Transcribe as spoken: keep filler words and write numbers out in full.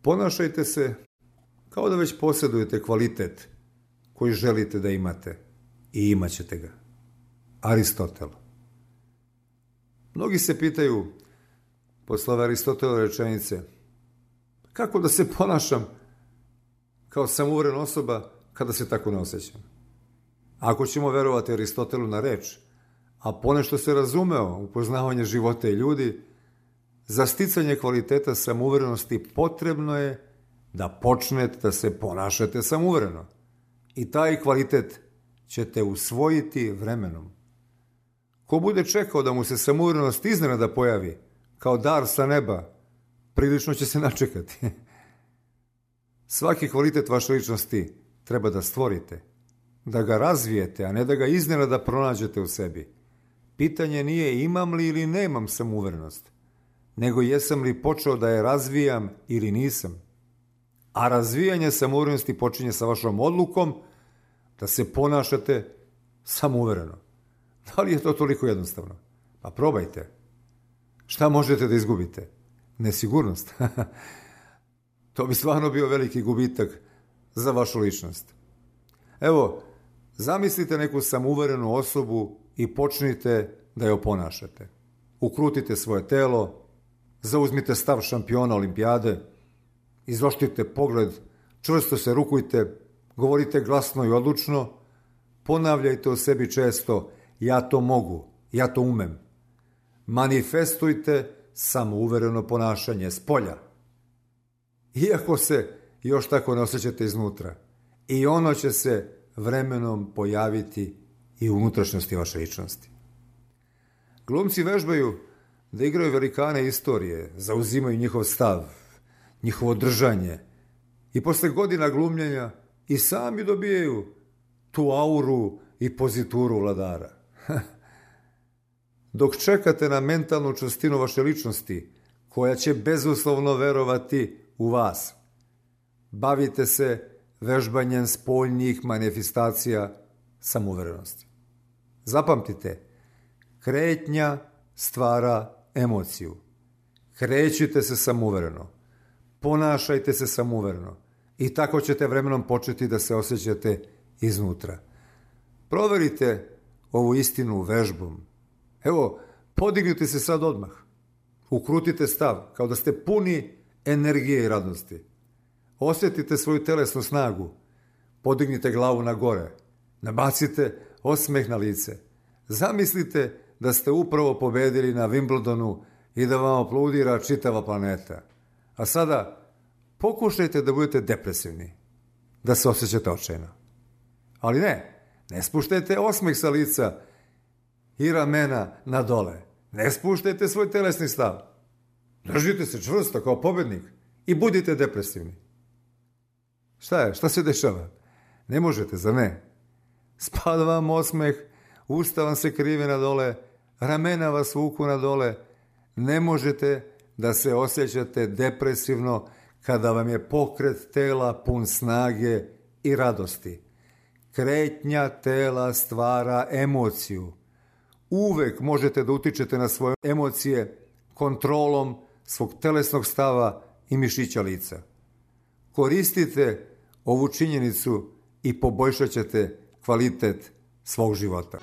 Ponašajte se kao da već posjedujete kvalitet koji želite da imate i imat ćete ga. Aristotel. Mnogi se pitaju, posle ove Aristotelove rečenice, kako da se ponašam kao samouverena osoba kada se tako ne osjećam. Ako ćemo verovati Aristotelu na reč, a ponešto se razumeo u poznavanje života i ljudi, za sticanje kvaliteta samouverenosti potrebno je da počnete da se ponašate samouvereno. I taj kvalitet ćete usvojiti vremenom. Ko bude čekao da mu se samouverenost iznenada pojavi, kao dar sa neba, prilično će se načekati. Svaki kvalitet vaše ličnosti treba da stvorite, da ga razvijete, a ne da ga iznenada pronađete u sebi. Pitanje nije imam li ili nemam samouverenost, nego jesam li počeo da je razvijam ili nisam. A razvijanje samouverenosti počinje sa vašom odlukom da se ponašate samouvereno. Da li je to toliko jednostavno? Pa probajte. Šta možete da izgubite? Nesigurnost. To bi stvarno bio veliki gubitak za vašu ličnost. Evo, zamislite neku samouverenu osobu i počnite da je oponašate. Ukrutite svoje telo, zauzmite stav šampiona olimpijade, izoštrite pogled, čvrsto se rukujte, govorite glasno i odlučno, ponavljajte o sebi često ja to mogu, ja to umem. Manifestujte samouvereno ponašanje spolja. Iako se još tako ne osjećate iznutra, i ono će se vremenom pojaviti i u unutrašnjosti vaše ličnosti. Glumci vežbaju da igraju velikane istorije, zauzimaju njihov stav, njihovo držanje i posle godina glumljenja i sami dobijaju tu auru i pozituru vladara. Dok čekate na mentalnu čvrstinu vaše ličnosti, koja će bezuslovno verovati u vas, bavite se vežbanjem spoljnih manifestacija samouverenosti. Zapamtite, kretnja stvara emociju. Krećite se samouvereno, ponašajte se samouvereno i tako ćete vremenom početi da se osjećate iznutra. Proverite ovu istinu vežbom. Evo, podignite se sad odmah. Ukrutite stav kao da ste puni energije i radosti. Osjetite svoju telesnu snagu. Podignite glavu na gore. Nabacite osmeh na lice. Zamislite da ste upravo pobedili na Wimbledonu i da vam aplaudira čitava planeta. A sada pokušajte da budete depresivni, da se osjećate očajno. Ali ne, ne spuštajte osmeh sa lica i ramena na dole. Ne spuštajte svoj telesni stav. Držite se čvrsto kao pobednik i budite depresivni. Šta je? Šta se dešava? Ne možete, zar ne? Spada vam osmeh, usta vam se krive na dole, ramena vas vuku na dole. Ne možete da se osjećate depresivno kada vam je pokret tela pun snage i radosti. Kretnja tela stvara emociju. Uvek možete da utičete na svoje emocije kontrolom svog telesnog stava i mišića lica. Koristite ovu činjenicu i poboljšat ćete kvalitet svog života.